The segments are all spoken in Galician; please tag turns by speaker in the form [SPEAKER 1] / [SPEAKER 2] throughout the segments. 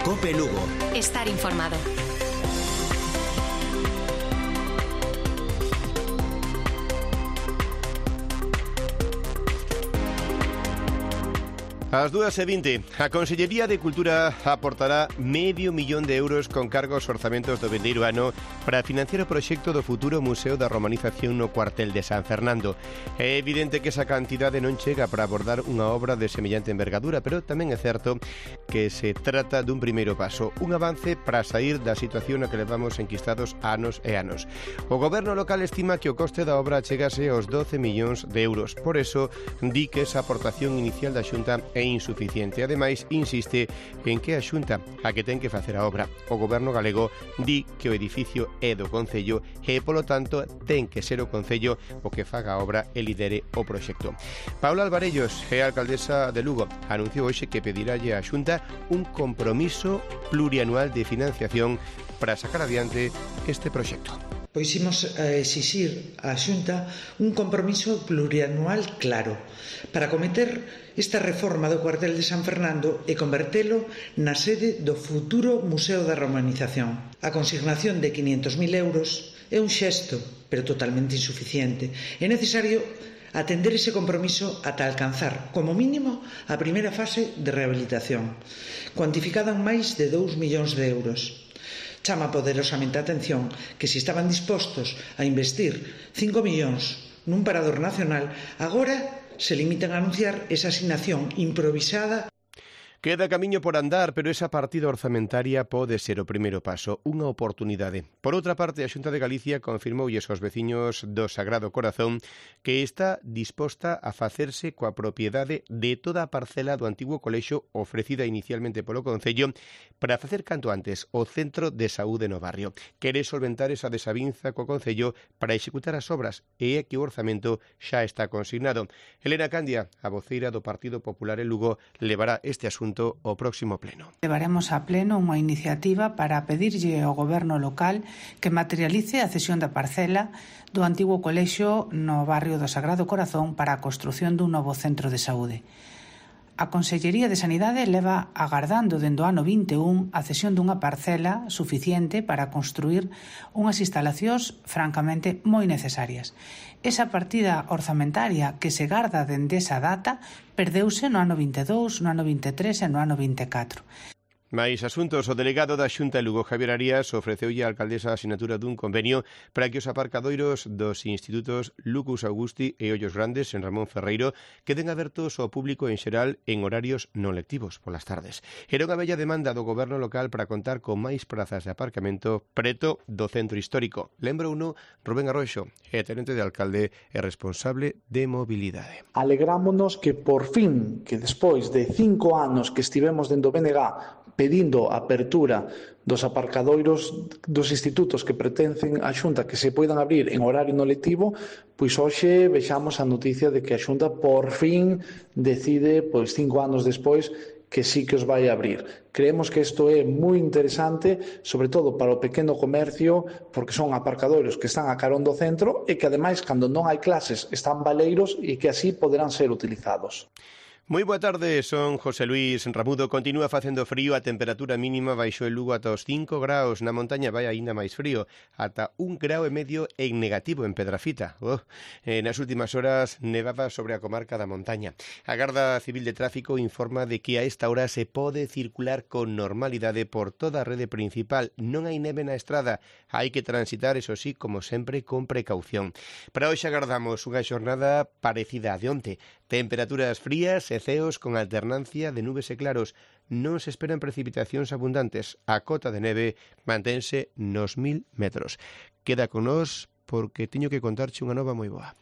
[SPEAKER 1] COPE Lugo.
[SPEAKER 2] Estar informado.
[SPEAKER 3] Ás 2:20, a Consellería de Cultura aportará €500.000 con cargos orzamentos do vindeiro ano para financiar o proxecto do futuro Museo da Romanización no cuartel de San Fernando. É evidente que esa cantidade non chega para abordar unha obra de semellante envergadura, pero tamén é certo que se trata dun primeiro paso, un avance para sair da situación na que levamos enquistados anos e anos. O goberno local estima que o coste da obra chegase aos €12 millóns. Por eso, di que esa aportación inicial da Xunta é insuficiente. Ademais, insiste en que a Xunta a que ten que facer a obra. O goberno galego di que o edificio é do Concello e, polo tanto, ten que ser o Concello o que faga a obra e lidere o proxecto. Paula Alvarellos é a alcaldesa de Lugo. Anunciou hoxe que pediralle á Xunta un compromiso plurianual de financiación para sacar adiante este proxecto.
[SPEAKER 4] Pois imos a exixir á Xunta un compromiso plurianual claro para acometer esta reforma do cuartel de San Fernando e convertelo na sede do futuro Museo da Romanización. A consignación de €500.000 é un xesto, pero totalmente insuficiente. É necesario atender ese compromiso ata alcanzar, como mínimo, a primeira fase de rehabilitación, cuantificada en máis de €2 millóns. Chama poderosamente a atención que se estaban dispostos a investir 5 millóns nun parador nacional, agora se limitan a anunciar esa asignación improvisada.
[SPEAKER 3] Queda camiño por andar, pero esa partida orzamentaria pode ser o primeiro paso, unha oportunidade. Por outra parte, a Xunta de Galicia confirmoulles aos veciños do Sagrado Corazón que está disposta a facerse coa propiedade de toda a parcela do antigo colexio ofrecida inicialmente polo Concello para facer canto antes o centro de saúde no barrio. Quere solventar esa desavinza co Concello para executar as obras e é que o orzamento xa está consignado. Elena Candia, a voceira do Partido Popular en Lugo, levará este asunto ao próximo pleno.
[SPEAKER 5] Levaremos a pleno unha iniciativa para pedirlle ao goberno local que materialice a cesión da parcela do antigo colexio no barrio do Sagrado Corazón para a construción dun novo centro de saúde. A Consellería de Sanidade leva agardando dende o ano 21 a cesión dunha parcela suficiente para construir unhas instalacións francamente moi necesarias. Esa partida orzamentaria que se garda dende esa data perdeuse no ano 22, no ano 23 e no ano 24.
[SPEAKER 3] Mais asuntos, o delegado da Xunta de Lugo, Javier Arias, ofreceulle á alcaldesa a asinatura dun convenio para que os aparcadoiros dos institutos Lucus Augusti e Ollos Grandes en Ramón Ferreiro queden abertos ao público en xeral en horarios non lectivos polas tardes. Era unha bella demanda do goberno local para contar con máis prazas de aparcamento preto do centro histórico. Lembrouno Rubén Arroxo, é tenente de alcalde e responsable de mobilidade.
[SPEAKER 6] Alegrámonos que por fin, que despois de 5 anos que estivemos dentro do BNG pedindo a apertura dos aparcadoiros dos institutos que pertencen á Xunta que se poidan abrir en horario non lectivo, pois hoxe vexamos a noticia de que a Xunta por fin decide, 5 anos despois, que sí que os vai abrir. Creemos que isto é moi interesante, sobre todo para o pequeno comercio, porque son aparcadoiros que están a carón do centro e que, ademais, cando non hai clases, están baleiros e que así poderán ser utilizados.
[SPEAKER 3] Moi boa tarde, son José Luis Ramudo. Continúa facendo frío, a temperatura mínima baixou en Lugo ata os 5 graus, na montaña vai aínda máis frío, ata 1,5 graus en negativo en Pedrafita. Nas últimas horas nevaba sobre a comarca da montaña. A Garda Civil de Tráfico informa de que a esta hora se pode circular con normalidade por toda a rede principal. Non hai neve na estrada, hai que transitar, eso sí, como sempre, con precaución. Para hoxe agardamos unha xornada parecida a de onte. Temperaturas frías e ceos con alternancia de nubes e claros. Non se esperan precipitacións abundantes. A cota de neve mantense nos 1000 metros. Queda con nós porque teño que contarche unha nova moi boa.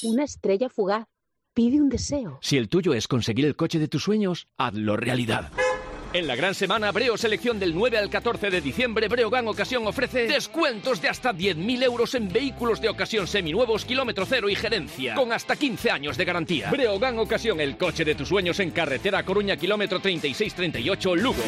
[SPEAKER 7] Una estrella fugaz pide un deseo.
[SPEAKER 8] Si el tuyo es conseguir el coche de tus sueños, hazlo realidad. En la gran semana Breo Selección del 9 al 14 de diciembre, Breogán Ocasión ofrece descuentos de hasta 10.000 euros en vehículos de ocasión seminuevos, kilómetro cero y gerencia, con hasta 15 años de garantía. Breogán Ocasión, el coche de tus sueños en carretera Coruña, kilómetro 3638, Lugo.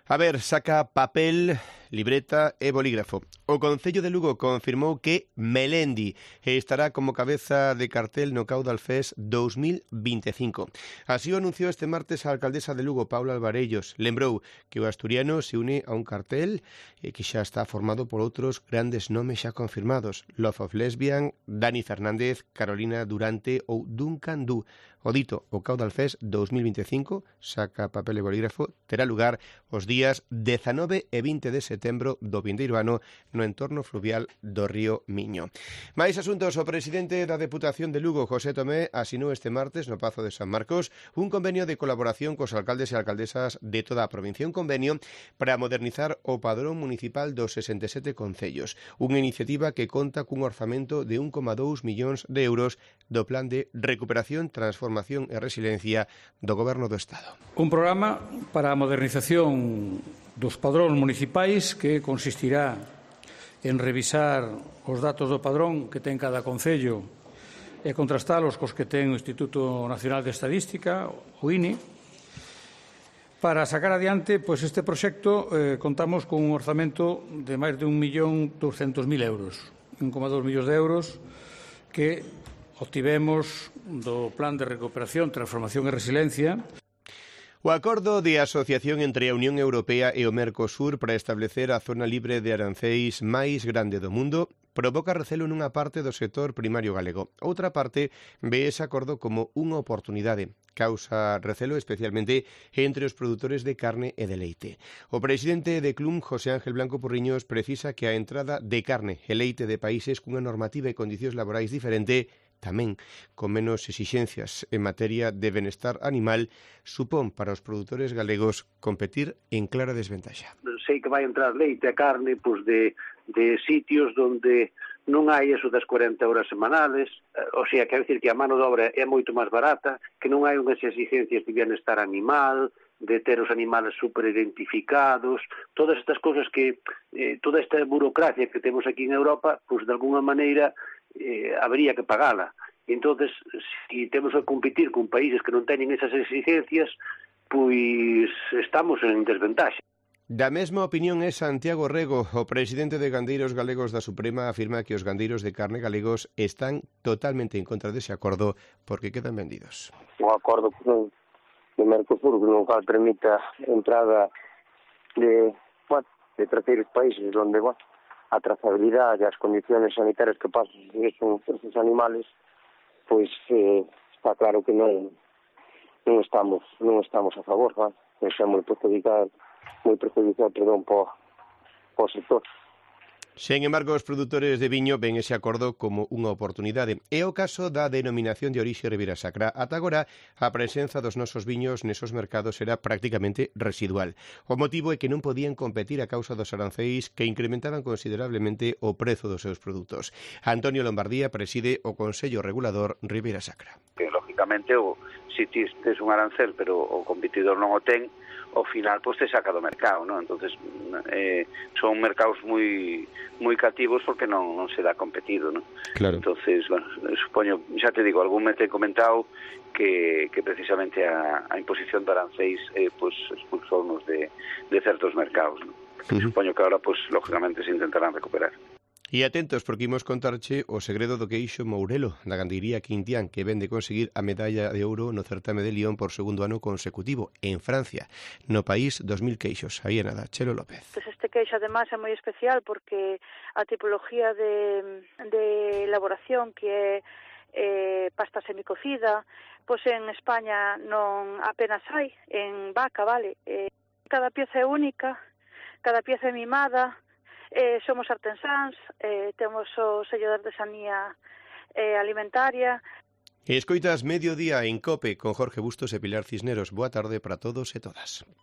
[SPEAKER 3] A ver, saca papel libreta e bolígrafo. O Concello de Lugo confirmou que Melendi estará como cabeza de cartel no Caudal Fest 2025. Así o anunciou este martes a alcaldesa de Lugo, Paula Alvarellos. Lembrou que o asturiano se une a un cartel que xa está formado por outros grandes nomes xa confirmados: Love of Lesbian, Dani Fernández, Carolina Durante ou Duncan Du. O dito, o Caudal Fest 2025, saca papel e bolígrafo, terá lugar os días 19 e 20 de setembro do vindeiro ano no entorno fluvial do río Miño. Máis asuntos. O presidente da Deputación de Lugo, José Tomé, asinou este martes no Pazo de San Marcos un convenio de colaboración cos alcaldes e alcaldesas de toda a provincia, un convenio para modernizar o padrón municipal dos 67 concellos, unha iniciativa que conta cun orzamento de 1,2 millóns de euros do Plan de Recuperación, Transformación e Resiliencia do Goberno do Estado.
[SPEAKER 1] Un programa para a modernización dos padróns municipais que consistirá en revisar os datos do padrón que ten cada concello e contrastalos cos que ten o Instituto Nacional de Estadística, o INE. Para sacar adiante este proxecto contamos con un orzamento de máis de 1.200.000 euros, 1,2 millóns de euros que obtivemos do Plan de Recuperación, Transformación e Resiliencia.
[SPEAKER 3] O acordo de asociación entre a Unión Europea e o Mercosur para establecer a zona libre de aranceis máis grande do mundo provoca recelo nunha parte do sector primario galego. Outra parte ve ese acordo como unha oportunidade. Causa recelo especialmente entre os produtores de carne e de leite. O presidente de Clum, José Ángel Blanco Porriños, precisa que a entrada de carne e leite de países cunha normativa e condicións laborais diferente, tamén con menos exixencias en materia de benestar animal, supón para os produtores galegos competir en clara desventaxa.
[SPEAKER 2] Sei que vai entrar leite e carne de sitios onde non hai eso das 40 horas semanales, o sea, quero dicir que a mano de obra é moito máis barata, que non hai unhas exigencias de bienestar animal, de ter os animales super identificados, todas estas cousas que, toda esta burocracia que temos aquí en Europa, pois de alguna maneira habería que pagala. Entonces, se temos que competir con países que non teñen esas exigencias, pois estamos en desventaxa.
[SPEAKER 3] Da mesma opinión é Santiago Rego. O presidente de Gandeiros Galegos da Suprema afirma que os gandeiros de carne galegos están totalmente en contra dese acordo porque quedan vendidos.
[SPEAKER 9] Un acordo de Mercosur que non permita a entrada de terceiros países onde a trazabilidade e as condiciones sanitarias que pasan esos animales, pois está claro que non estamos a favor, é moi perjudicial para o sector.
[SPEAKER 3] Sen embargo, os produtores de viño ven ese acordo como unha oportunidade. É o caso da denominación de orixe Ribeira Sacra. Ata agora, a presenza dos nosos viños nesos mercados era prácticamente residual. O motivo é que non podían competir a causa dos aranceis que incrementaban considerablemente o prezo dos seus produtos. Antonio Lombardía preside o Consello Regulador Ribeira Sacra.
[SPEAKER 10] Que, lógicamente, se tes un arancel, pero o competidor non o ten, ao final te saca do mercado, non? Entonces son mercados moi cativos porque non se dá competido, non?
[SPEAKER 3] Claro.
[SPEAKER 10] Entonces, supoño, xa te digo, algún me te comentado que precisamente a imposición de aranceis expulsounos de certos mercados, non? Supoño que agora, lógicamente, se intentarán recuperar.
[SPEAKER 3] E atentos, porque imos contarche o segredo do queixo Mourelo, da gandeiría Quintián, que ven de conseguir a medalla de ouro no certame de Lyon por segundo ano consecutivo en Francia. No país, 2.000 queixos. Aí é nada, Chelo López.
[SPEAKER 11] Este queixo, además, é moi especial porque a tipología de elaboración que é pasta semicocida, en España non apenas hai, en vaca, vale. Cada pieza é única, cada pieza é mimada. Somos artesáns, temos o sello de artesanía alimentaria.
[SPEAKER 3] Escoitas Mediodía en COPE con Jorge Bustos e Pilar Cisneros. Boa tarde para todos e todas.